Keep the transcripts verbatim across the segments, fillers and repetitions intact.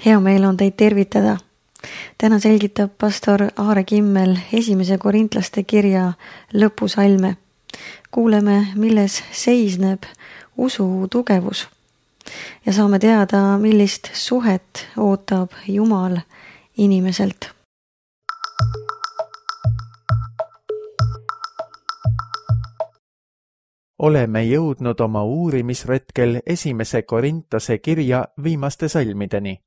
Hea meel on teid tervitada. Täna selgitab pastor Aare Kimmel esimese korintlaste kirja lõpusalme. Kuuleme, milles seisneb usu tugevus ja saame teada, millist suhet ootab Jumal inimeselt. Oleme jõudnud oma uurimisretkel esimese Korintase kirja viimaste salmideni.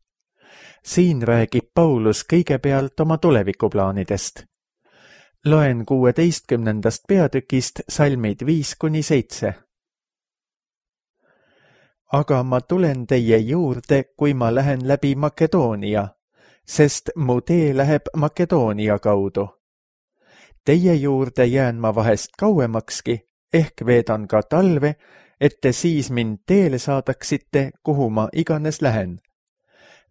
Siin räägib Paulus kõigepealt oma tulevikuplaanidest. Loen kuueteistkümnendast peatükist salmid viis kuni seitse. Aga ma tulen teie juurde, kui ma lähen läbi Makedoonia, sest mu tee läheb Makedoonia kaudu. Teie juurde jään ma vahest kauemakski, ehk veedan ka talve, et te siis mind teele saadaksite, kuhu ma iganes lähen.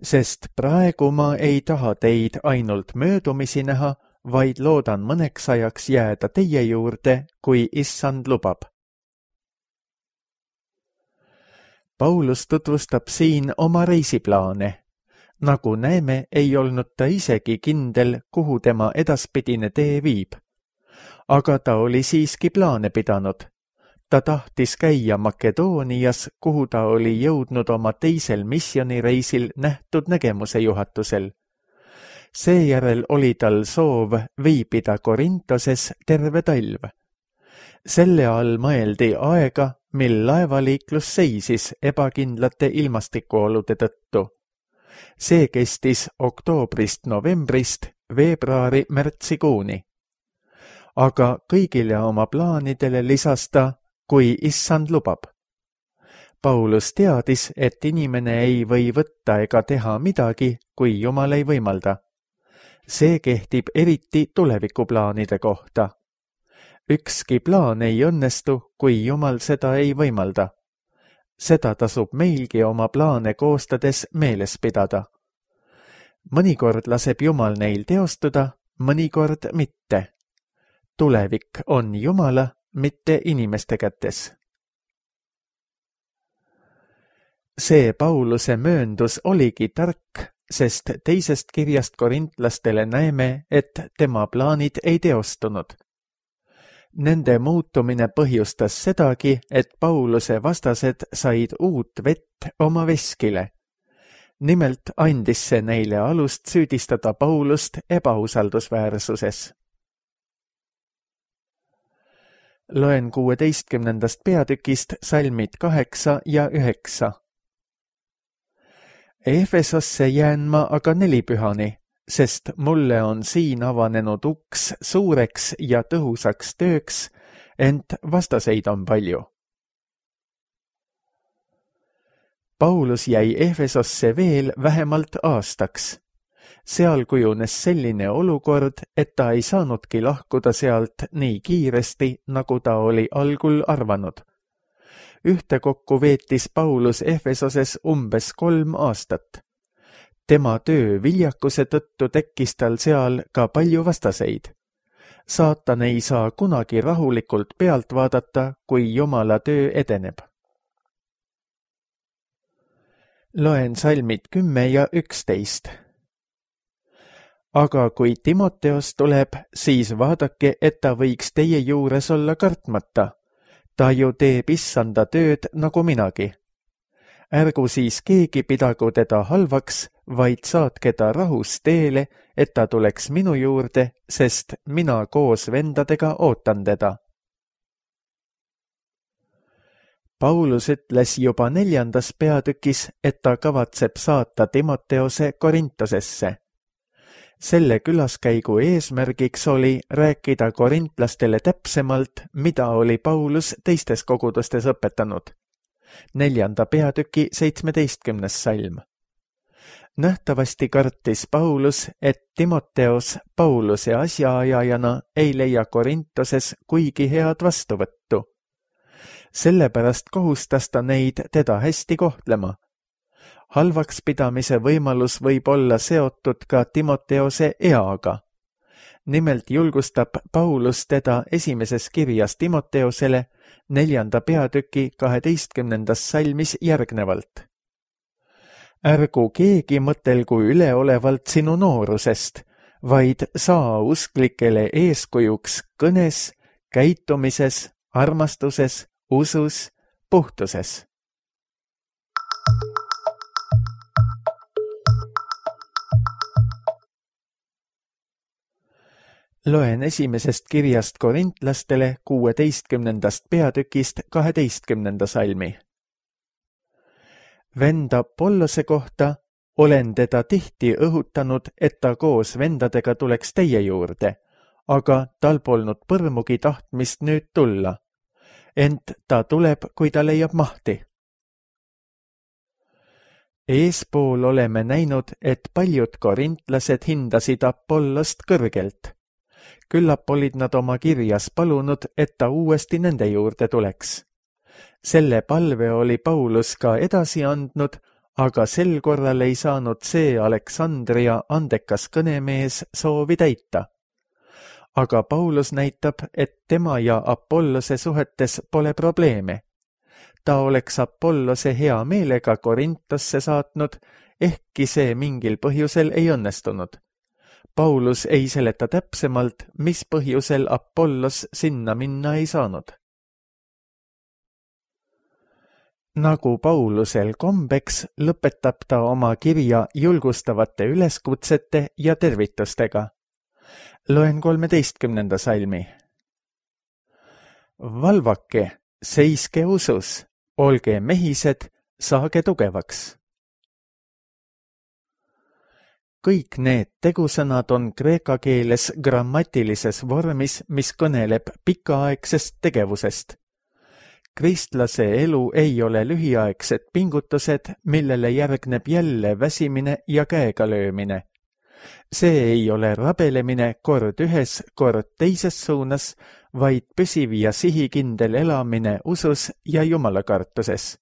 Sest praegu ma ei taha teid ainult möödumisi näha, vaid loodan mõneks ajaks jääda teie juurde, kui issand lubab. Paulus tutvustab siin oma reisiplaane. Nagu näeme, ei olnud ta isegi kindel, kuhu tema edaspidine tee viib. Aga ta oli siiski plaane pidanud. Ta tahtis käia Makedoonias, kuhu ta oli jõudnud oma teisel missionireisil nähtud nägemuse juhatusel. Seejärel oli tal soov viibida Korintoses terve talv. Selle all mõeldi aega, mil laevaliiklus seisis ebakindlate ilmastikuolude tõttu. See kestis oktoobrist novembrist veebruari märtsikuuni. Aga kõigile oma plaanidele lisas ta, kui issand lubab. Paulus teadis, et inimene ei või võtta ega teha midagi, kui Jumal ei võimalda. See kehtib eriti tulevikuplaanide kohta. Ükski plaan ei õnnestu, kui Jumal seda ei võimalda. Seda tasub meilgi oma plaane koostades meeles pidada. Mõnikord laseb Jumal neil teostuda, mõnikord mitte. Tulevik on Jumala, mitte inimeste kätes. See Pauluse mööndus oligi tark, sest teisest kirjast korintlastele näeme, et tema plaanid ei teostunud. Nende muutumine põhjustas sedagi, et Pauluse vastased said uut vett oma veskile. Nimelt andis see neile alust süüdistada Paulust ebausaldusväärsuses. Loen kuueteistkümnendast peatükist salmid kaheksa ja üheksa. Efesosse jään ma aga nelipühani, sest mulle on siin avanenud uks suureks ja tõhusaks tööks, ent vastaseid on palju. Paulus jäi Efesosse veel vähemalt aastaks. Seal kujunes selline olukord, et ta ei saanudki lahkuda sealt nii kiiresti, nagu ta oli algul arvanud. Ühtekokku veetis Paulus Efesoses umbes kolm aastat. Tema töö viljakuse tõttu tekkis tal seal ka palju vastaseid. Saatan ei saa kunagi rahulikult pealt vaadata, kui Jumala töö edeneb. Loen salmid kümme ja üksteist. Aga kui Timoteos tuleb, siis vaadake, et ta võiks teie juures olla kartmata. Ta ju teeb issanda tööd nagu minagi. Ärgu siis keegi pidagu teda halvaks, vaid saatke ta rahus teele, et ta tuleks minu juurde, sest mina koos vendadega ootan teda. Paulus ütles juba neljandas peatükis, et ta kavatseb saata Timoteose Korintosesse. Selle külaskäigu eesmärgiks oli rääkida korintlastele täpsemalt, mida oli Paulus teistes kogudustes õpetanud. Neljanda peatüki seitsmeteistkümnes salm. Nähtavasti kartis Paulus, et Timoteos Pauluse asjaajajana ei leia Korintoses kuigi head vastuvõttu. Sellepärast kohustas ta neid teda hästi kohtlema. Halvaks pidamise võimalus võib olla seotud ka Timoteose eaga. Nimelt julgustab Paulus teda esimeses kirjas Timoteosele neljanda peatüki kaheteistkümnendas salmis järgnevalt. ärgu keegi mõtelgu üleolevalt sinu noorusest, vaid saa usklikele eeskujuks kõnes, käitumises, armastuses, usus, puhtuses. Loen esimesest kirjast korintlastele kuueteistkümnendast peatükist kaheteistkümnenda salmi. Vend Apollose kohta olen teda tihti õhutanud, et ta koos vendadega tuleks teie juurde, aga tal polnud põrmugi tahtmist nüüd tulla. Ent ta tuleb, kui ta leiab mahti. Eespool oleme näinud, et paljud korintlased hindasid Apollost kõrgelt. Küllap olid nad oma kirjas palunud, et ta uuesti nende juurde tuleks. Selle palve oli Paulus ka edasi andnud, aga sel korral ei saanud see Aleksandria andekas kõnemees soovi täita. Aga Paulus näitab, et tema ja Apollose suhetes pole probleeme. Ta oleks Apollose hea meelega Korintosse saatnud, ehkki see mingil põhjusel ei õnnestunud. Paulus ei seleta täpsemalt, mis põhjusel Apollos sinna minna ei saanud. Nagu Paulusel kombeks, lõpetab ta oma kirja julgustavate üleskutsete ja tervitustega. Loen kolmeteistkümnenda salmi. Valvake, seiske usus, olge mehised, saage tugevaks. Kõik need tegusõnad on kreeka keeles grammatilises vormis, mis kõneleb pikaaegsest tegevusest. Kristlase elu ei ole lühiaegsed pingutused, millele järgneb jälle väsimine ja käega löömine. See ei ole rabelemine kord ühes, kord teises suunas, vaid püsiv ja sihikindel elamine usus ja jumalakartuses.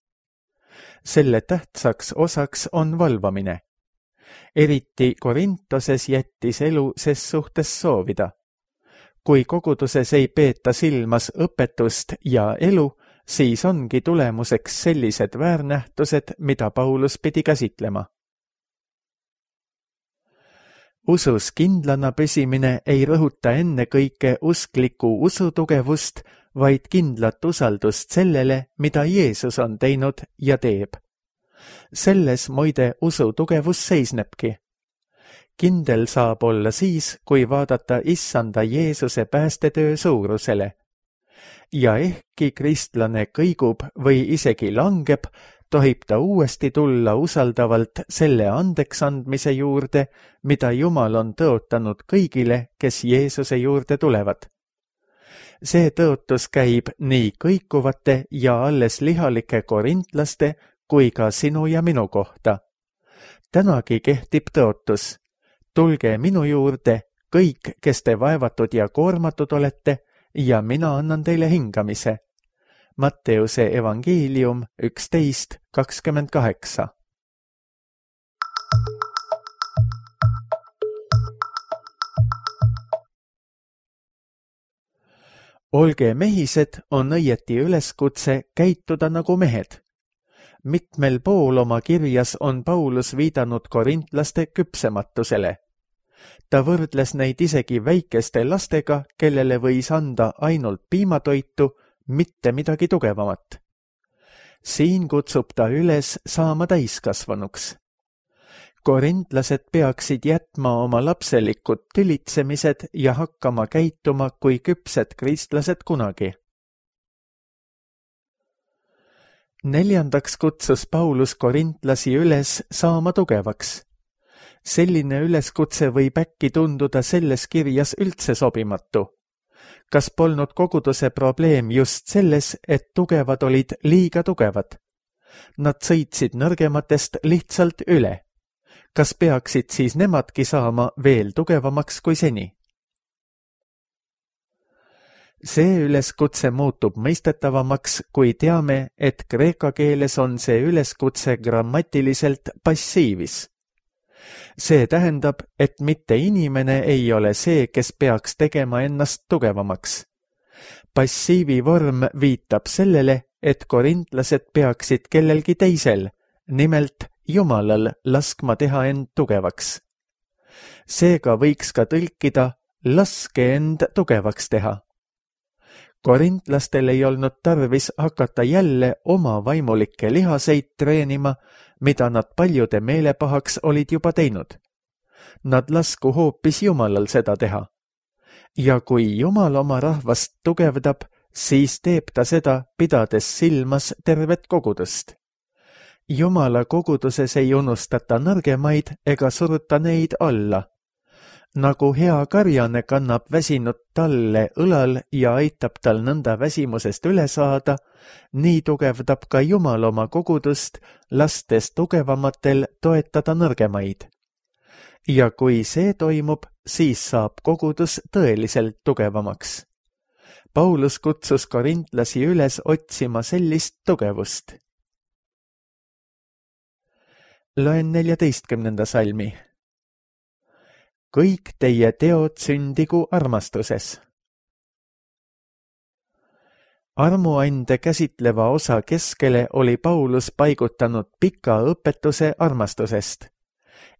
Selle tähtsaks osaks on valvamine. Eriti Korintoses jättis elu ses suhtes soovida. Kui koguduses ei peeta silmas õpetust ja elu, siis ongi tulemuseks sellised väärnähtused, mida Paulus pidi käsitlema. Usus kindlana püsimine ei rõhuta ennekõike uskliku usutugevust, vaid kindlat usaldust sellele, mida Jeesus on teinud ja teeb. Selles muide usu tugevus seisnebki. Kindel saab olla siis, kui vaadata issanda Jeesuse päästetöö suurusele. Ja ehkki kristlane kõigub või isegi langeb, tohib ta uuesti tulla usaldavalt selle andeksandmise juurde, mida Jumal on tõotanud kõigile, kes Jeesuse juurde tulevad. See tõotus käib nii kõikuvate ja alles lihalike korintlaste kui ka sinu ja minu kohta. Tänagi kehtib tõotus. Tulge minu juurde, kõik, kes te vaevatud ja koormatud olete, ja mina annan teile hingamise. Matteuse evangeelium üksteist kakskümmend kaheksa. Olge mehised on õieti üleskutse käituda nagu mehed. Mitmel pool oma kirjas on Paulus viidanud korintlaste küpsematusele. Ta võrdles neid isegi väikeste lastega, kellele võis anda ainult piimatoitu, mitte midagi tugevamat. Siin kutsub ta üles saama täiskasvanuks. Korintlased peaksid jätma oma lapselikud tülitsemised ja hakkama käituma kui küpsed kristlased kunagi. Neljandaks kutsus Paulus korintlasi üles saama tugevaks. Selline üleskutse võib äkki tunduda selles kirjas üldse sobimatu. Kas polnud koguduse probleem just selles, et tugevad olid liiga tugevad? Nad sõitsid nõrgematest lihtsalt üle. Kas peaksid siis nemadki saama veel tugevamaks kui seni? See üleskutse muutub mõistetavamaks, kui teame, et kreeka keeles on see üleskutse grammatiliselt passiivis. See tähendab, et mitte inimene ei ole see, kes peaks tegema ennast tugevamaks. Passiivi vorm viitab sellele, et korintlased peaksid kellelgi teisel, nimelt Jumalal laskma teha end tugevaks. Seega võiks ka tõlkida laske end tugevaks teha. Korintlastel ei olnud tarvis hakata jälle oma vaimulikke lihaseid treenima, mida nad paljude meelepahaks olid juba teinud. Nad lasku hoopis Jumalal seda teha. Ja kui Jumal oma rahvast tugevdab, siis teeb ta seda, pidades silmas tervet kogudust. Jumala koguduses ei unustata nõrgemaid ega suruta neid alla. Nagu hea karjane kannab väsinud talle õlal ja aitab tal nõnda väsimusest üle saada, nii tugevdab ka Jumal oma kogudust, lastes tugevamatel toetada nõrgemaid. Ja kui see toimub, siis saab kogudus tõeliselt tugevamaks. Paulus kutsus korintlasi üles otsima sellist tugevust. Loen neljateistkümnenda salmi. Kõik teie teod sündigu armastuses. Armuande käsitleva osa keskele oli Paulus paigutanud pika õpetuse armastusest.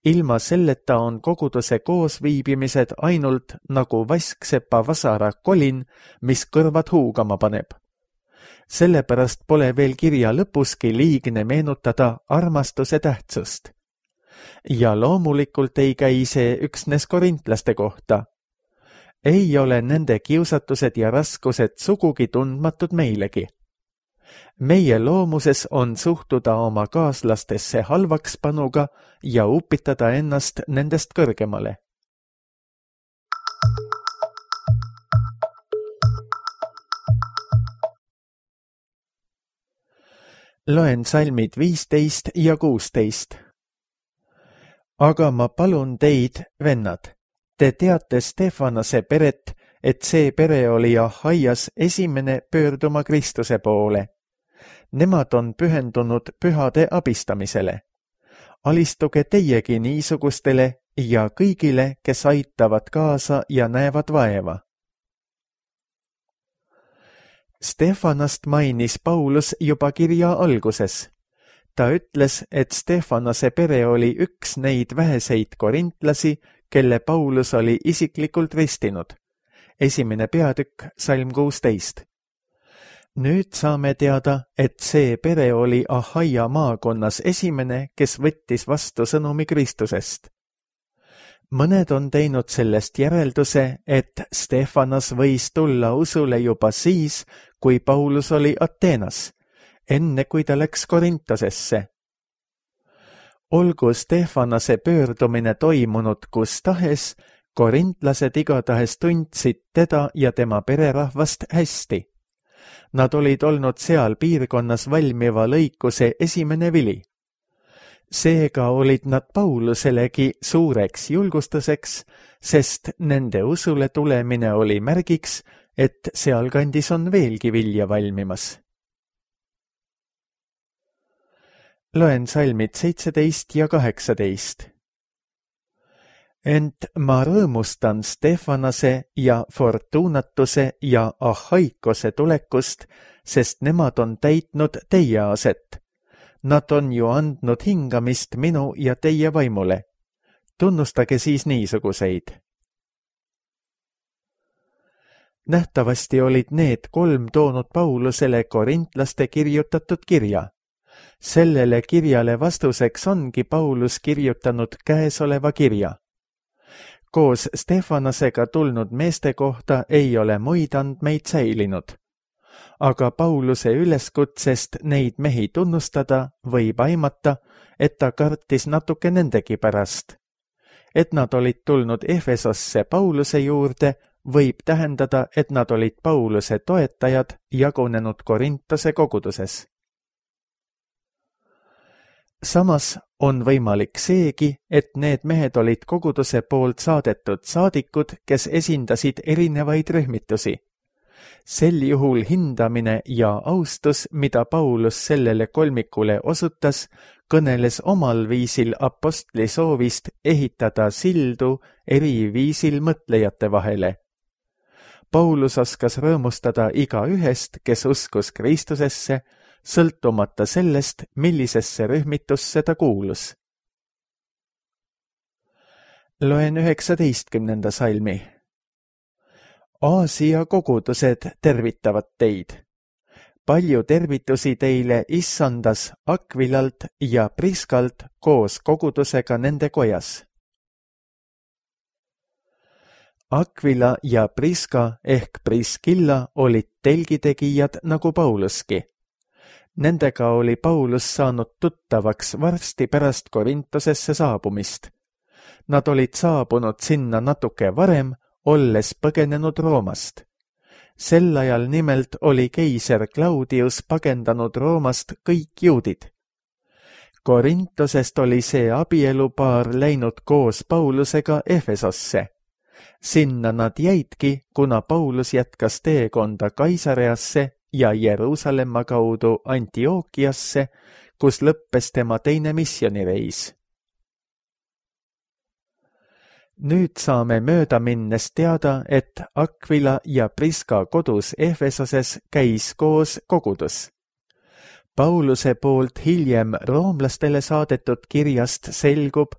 Ilma selleta on koguduse koosviibimised ainult nagu vasksepa vasara kolin, mis kõrvad huugama paneb. Sellepärast pole veel kirja lõpuski liigne meenutada armastuse tähtsust. Ja loomulikult ei käi see üksnes korintlaste kohta. Ei ole nende kiusatused ja raskused sugugi tundmatud meilegi. Meie loomuses on suhtuda oma kaaslastesse halvakspanuga ja upitada ennast nendest kõrgemale. Loen salmid viisteist ja kuusteist. Aga ma palun teid, vennad, te teate Stefanase peret, et see pere oli Ahaias esimene pöörduma Kristuse poole. Nemad on pühendunud pühade abistamisele. Alistuge teiegi niisugustele ja kõigile, kes aitavad kaasa ja näevad vaeva. Stefanast mainis Paulus juba kirja alguses. Ta ütles, et Stefanase pere oli üks neid väheseid korintlasi, kelle Paulus oli isiklikult ristinud. Esimene peatükk, salm kuusteist. Nüüd saame teada, et see pere oli Ahaia maakonnas esimene, kes võttis vastu sõnumi Kristusest. Mõned on teinud sellest järelduse, et Stefanas võis tulla usule juba siis, kui Paulus oli Ateenas, enne kui ta läks Korintosesse. Olgu Stefanase pöördumine toimunud kus tahes, korintlased igatahes tundsid teda ja tema pererahvast hästi. Nad olid olnud seal piirkonnas valmiva lõikuse esimene vili. Seega olid nad Pauluselegi suureks julgustuseks, sest nende usule tulemine oli märgiks, et sealkandis on veelgi vilja valmimas. Loen salmid seitseteist ja kaheksateist. Ent ma rõõmustan Stefanase ja Fortunatuse ja Ahaikose tulekust, sest nemad on täitnud teie aset. Nad on ju andnud hingamist minu ja teie vaimule. Tunnustage siis niisuguseid. Nähtavasti olid need kolm toonud Paulusele korintlaste kirjutatud kirja. Sellele kirjale vastuseks ongi Paulus kirjutanud käesoleva kirja. Koos Stefanasega tulnud meeste kohta ei ole muid andmeid säilinud. Aga Pauluse üleskutsest neid mehi tunnustada võib aimata, et ta kartis natuke nendegi pärast. Et nad olid tulnud Efesosse Pauluse juurde, võib tähendada, et nad olid Pauluse toetajad jagunenud Korintose koguduses. Samas on võimalik seegi, et need mehed olid koguduse poolt saadetud saadikud, kes esindasid erinevaid rühmitusi. Sel juhul hindamine ja austus, mida Paulus sellele kolmikule osutas, kõneles omal viisil apostli soovist ehitada sildu eri viisil mõtlejate vahele. Paulus oskas rõõmustada iga ühest, kes uskus Kristusesse, sõltumata sellest, millisesse rühmitusse ta kuulus. Loen üheksateistkümnenda salmi. Aasia kogudused tervitavad teid. Palju tervitusi teile Issandas Akvilalt ja Priskalt koos kogudusega nende kojas. Akvila ja Priska ehk Priskilla olid telgitegijad nagu Pauluski. Nendega oli Paulus saanud tuttavaks varsti pärast Korintosesse saabumist. Nad olid saabunud sinna natuke varem, olles põgenenud Roomast. Sel ajal nimelt oli keiser Claudius pagendanud Roomast kõik juudid. Korintosest oli see abielupaar läinud koos Paulusega Efesosse. Sinna nad jäidki, kuna Paulus jätkas teekonda Kaisareasse ja Jeruusalemma kaudu Antiookiasse, kus lõppes tema teine missionireis. Nüüd saame mööda minnes teada, et Akvila ja Priska kodus Efesoses käis koos kogudus. Pauluse poolt hiljem roomlastele saadetud kirjast selgub,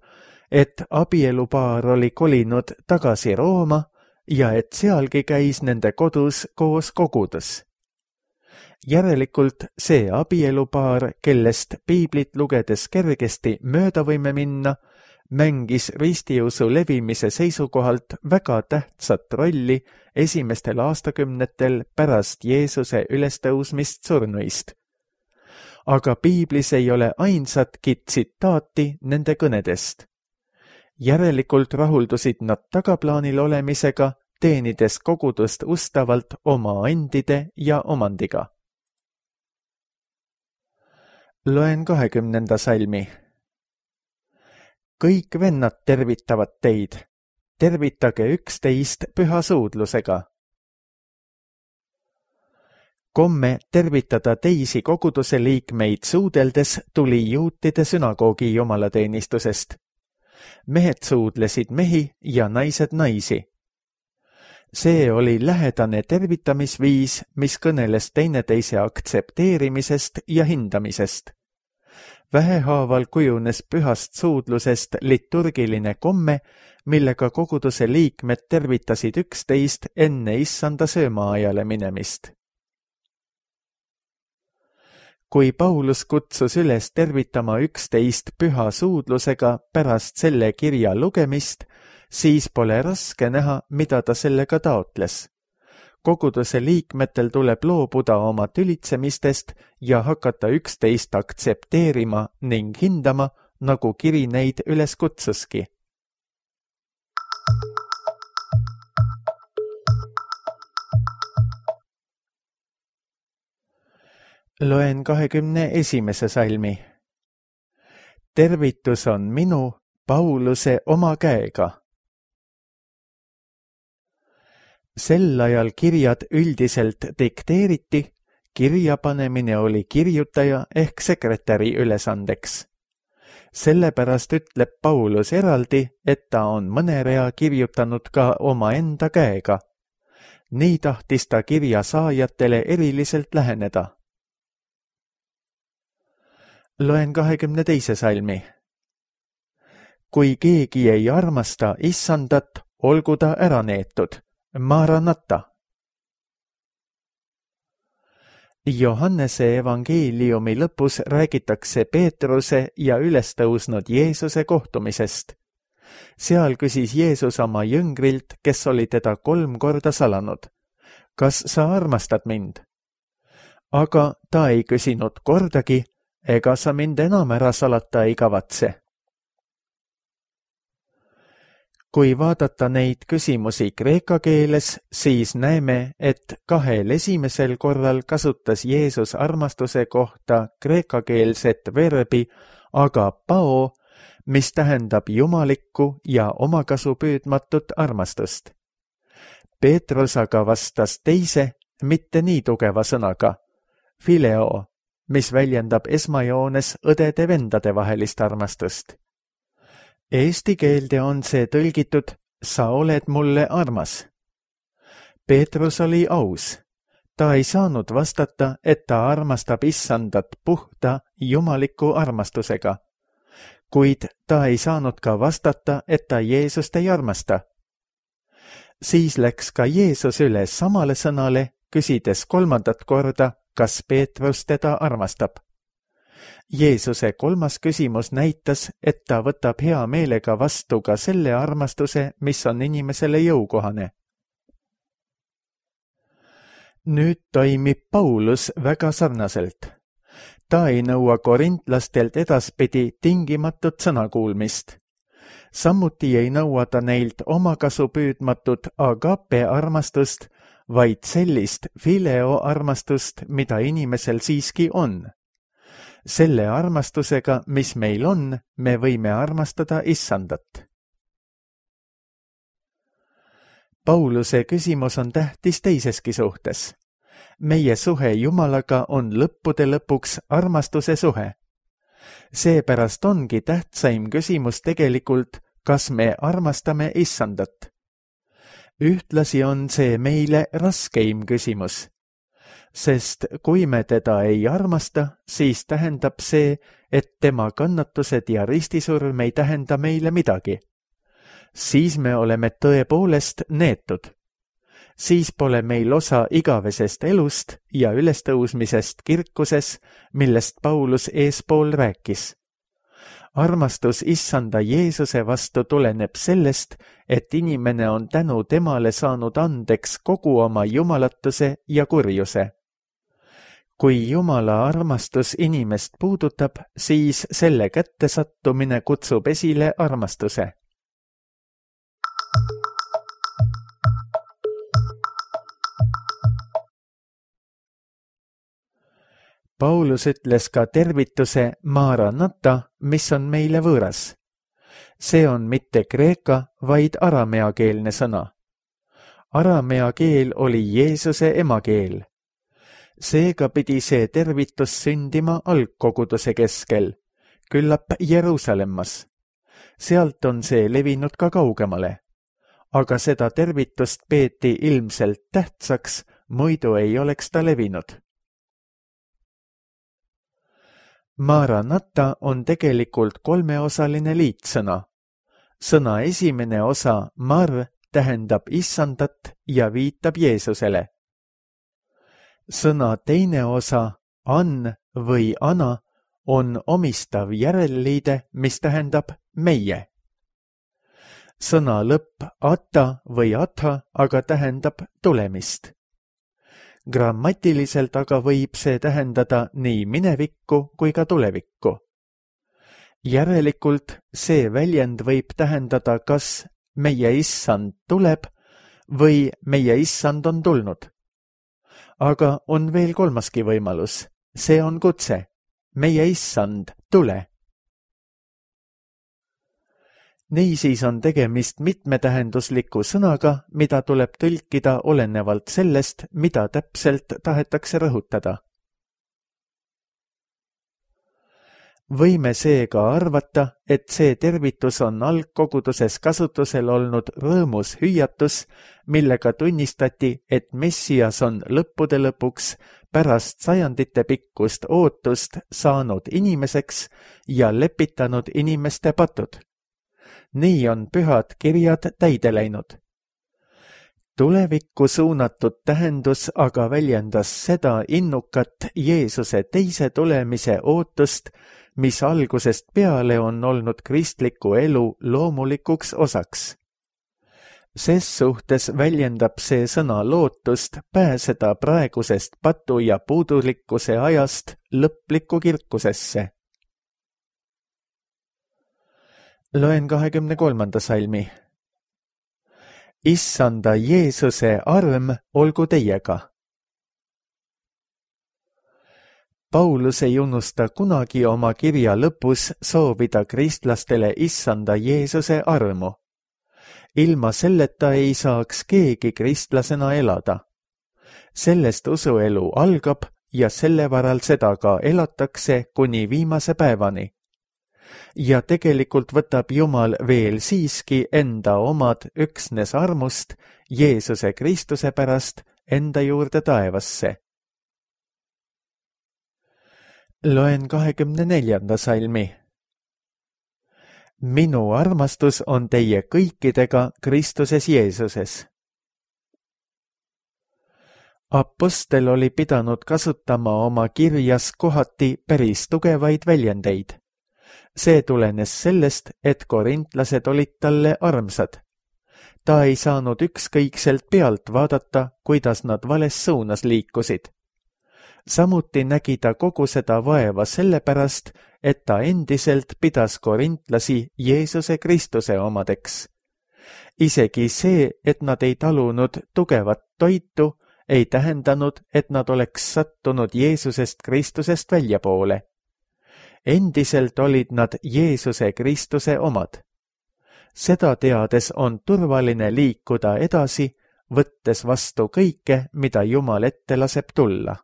et abielupaar oli kolinud tagasi Rooma ja et sealgi käis nende kodus koos kogudus. Järelikult see abielupaar, kellest piiblit lugedes kergesti mööda võime minna, mängis ristiusu levimise seisukohalt väga tähtsat rolli esimestel aastakümnetel pärast Jeesuse ülestõusmist surnuist. Aga piiblis ei ole ainsatki tsitaati nende kõnedest. Järelikult rahuldusid nad tagaplaanil olemisega, teenides kogudust ustavalt oma andide ja omandiga. Loen kahekümnenda salmi. Kõik vennad tervitavad teid. Tervitage üksteist püha suudlusega. Komme tervitada teisi koguduse liikmeid suudeldes tuli juutide sünagoogi jumalateenistusest. Mehed suudlesid mehi ja naised naisi. See oli lähedane tervitamisviis, mis kõneles teineteise aktsepteerimisest ja hindamisest. Vähehaaval kujunes pühast suudlusest liturgiline komme, millega koguduse liikmed tervitasid üksteist enne issanda söömaajale minemist. Kui Paulus kutsus üles tervitama üksteist püha suudlusega pärast selle kirja lugemist, siis pole raske näha, mida ta sellega taotles. Koguduse liikmetel tuleb loobuda oma tülitsemistest ja hakata üksteist aktsepteerima ning hindama, nagu kiri neid üles kutsuski. Loen kahekümne esimese salmi. Tervitus on minu, Pauluse oma käega. Sel ajal kirjad üldiselt dikteeriti, kirjapanemine oli kirjutaja ehk sekretäri ülesandeks. Sellepärast ütleb Paulus eraldi, et ta on mõne rea kirjutanud ka oma enda käega. Nii tahtis ta kirja saajatele eriliselt läheneda. Loen kahekümne teise salmi. Kui keegi ei armasta issandat, olgu ta ära neetud. Maranata. Johannese evangeeliumi lõpus räägitakse Peetruse ja ülestõusnud Jeesuse kohtumisest. Seal küsis Jeesus oma jüngrilt, kes oli teda kolm korda salanud. Kas sa armastad mind? Aga ta ei küsinud kordagi, ega sa mind enam ära salata ei kavatse. Kui vaadata neid küsimusi kreeka keeles, siis näeme, et kahel esimesel korral kasutas Jeesus armastuse kohta kreekakeelset verbi agapao, mis tähendab jumalikku ja omakasupüüdmatut armastust. Peetrus aga vastas teise, mitte nii tugeva sõnaga, fileo, mis väljendab esmajoones õdede-vendade vahelist armastust. Eesti keelde on see tõlgitud, sa oled mulle armas. Peetrus oli aus. ta ei saanud vastata, et ta armastab issandat puhta jumaliku armastusega, kuid ta ei saanud ka vastata, et ta Jeesust ei armasta. Siis läks ka Jeesus üle samale sõnale, küsides kolmandat korda, kas Peetrus teda armastab. Jeesuse kolmas küsimus näitas, et ta võtab hea meelega vastu ka selle armastuse, mis on inimesele jõukohane. Nüüd toimib Paulus väga sarnaselt. Ta ei nõua korintlastelt edaspidi tingimatut sõnakuulmist. Samuti ei nõua ta neilt omakasu püüdmatut agape armastust, vaid sellist fileo armastust, mida inimesel siiski on. Selle armastusega, mis meil on, me võime armastada issandat. Pauluse küsimus on tähtis teiseski suhtes. Meie suhe Jumalaga on lõppude lõpuks armastuse suhe. Seepärast ongi tähtsaim küsimus tegelikult, kas me armastame issandat. Ühtlasi on see meile raskeim küsimus. Sest kui me teda ei armasta, siis tähendab see, et tema kannatused ja ristisurm ei tähenda meile midagi. Siis me oleme tõepoolest neetud. Siis pole meil osa igavesest elust ja ülestõusmisest kirkuses, millest Paulus eespool rääkis. Armastus issanda Jeesuse vastu tuleneb sellest, et inimene on tänu temale saanud andeks kogu oma jumalatuse ja kurjuse. Kui Jumala armastus inimest puudutab, siis selle kättesattumine kutsub esile armastuse. Paulus ütles ka tervituse Maranata, mis on meile võõras. See on mitte kreeka, vaid arameakeelne sõna. Aramea keel oli Jeesuse emakeel. Seega pidi see tervitus sündima algkoguduse keskel, küllap Jeruusalemmas. Sealt on see levinud ka kaugemale. Aga seda tervitust peeti ilmselt tähtsaks, muidu ei oleks ta levinud. Maranata on tegelikult kolmeosaline liitsõna. Sõna esimene osa mar tähendab issandat ja viitab Jeesusele. Sõna teine osa an või ana on omistav järelliide, mis tähendab meie. Sõna lõpp ata või atha aga tähendab tulemist. Grammatiliselt aga võib see tähendada nii minevikku kui ka tulevikku. Järelikult see väljend võib tähendada kas meie issand tuleb või meie issand on tulnud. Aga on veel kolmaski võimalus. See on kutse. Meie issand, tule. Niisiis on tegemist mitmetähendusliku sõnaga, mida tuleb tõlkida olenevalt sellest, mida täpselt tahetakse rõhutada. Võime seega arvata, et see tervitus on algkoguduses kasutusel olnud rõõmus hüüatus, millega tunnistati, et Messias on lõppude lõpuks pärast sajandite pikkust ootust saanud inimeseks ja lepitanud inimeste patud. Nii on pühad kirjad täide läinud. Tulevikku suunatud tähendus aga väljendas seda innukat Jeesuse teise tulemise ootust, mis algusest peale on olnud kristliku elu loomulikuks osaks. Ses suhtes väljendab see sõna lootust pääseda praegusest patu ja puudulikkuse ajast lõplikku kirkusesse. Loen kahekümne kolmanda salmi. Issanda Jeesuse arm olgu teiega. Paulus ei unusta kunagi oma kirja lõpus soovida kristlastele issanda Jeesuse armu. Ilma selleta ei saaks keegi kristlasena elada. Sellest usuelu algab ja selle varal seda ka elatakse kuni viimase päevani. Ja tegelikult võtab Jumal veel siiski enda omad üksnes armust Jeesuse Kristuse pärast enda juurde taevasse. Loen kahekümne neljanda salmi. Minu armastus on teie kõikidega Kristuses Jeesuses. Apostel oli pidanud kasutama oma kirjas kohati päris tugevaid väljendeid. See tulenes sellest, et korintlased olid talle armsad. Ta ei saanud ükskõikselt pealt vaadata, kuidas nad vales suunas liikusid. Samuti nägi ta kogu seda vaeva sellepärast, et ta endiselt pidas korintlasi Jeesuse Kristuse omadeks. Isegi see, et nad ei talunud tugevat toitu, ei tähendanud, et nad oleks sattunud Jeesusest Kristusest väljapoole. Endiselt olid nad Jeesuse Kristuse omad. Seda teades on turvaline liikuda edasi, võttes vastu kõike, mida Jumal ette laseb tulla.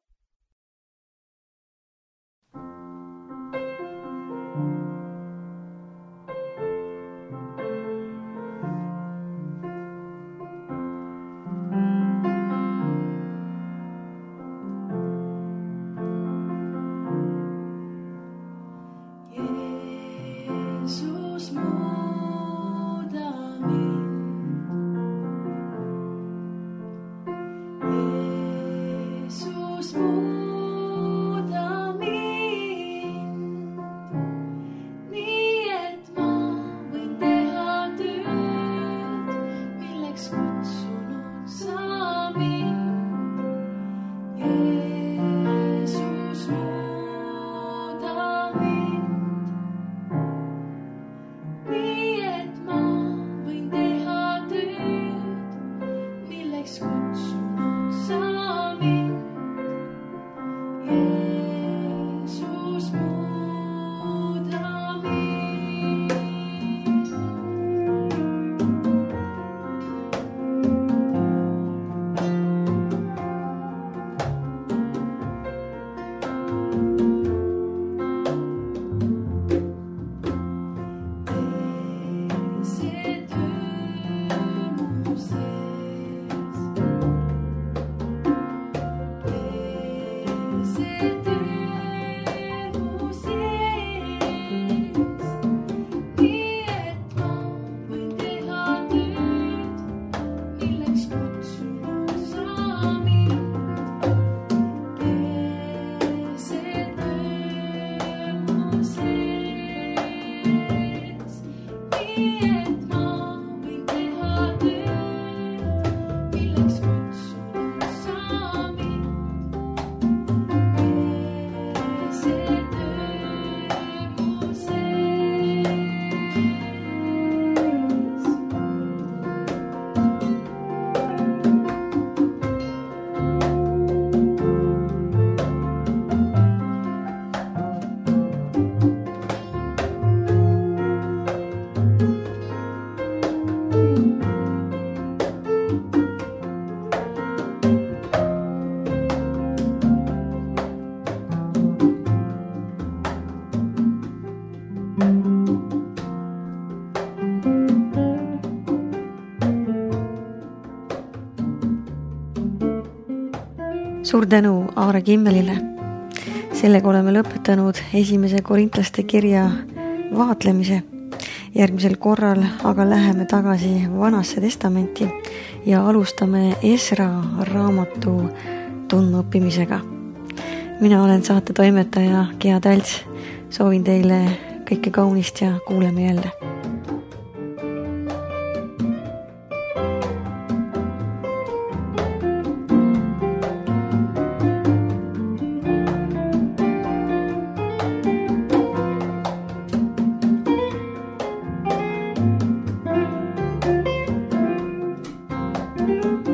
Suur tänu Aare Kimmelile. Sellega oleme lõpetanud esimese korintlaste kirja vaatlemise. Järgmisel korral aga läheme tagasi Vanasse testamenti ja alustame Esra raamatu tundmaõppimisega. Mina olen saate toimetaja Gea Tälts. Soovin teile kõike kaunist ja kuuleme jälle. Thank you.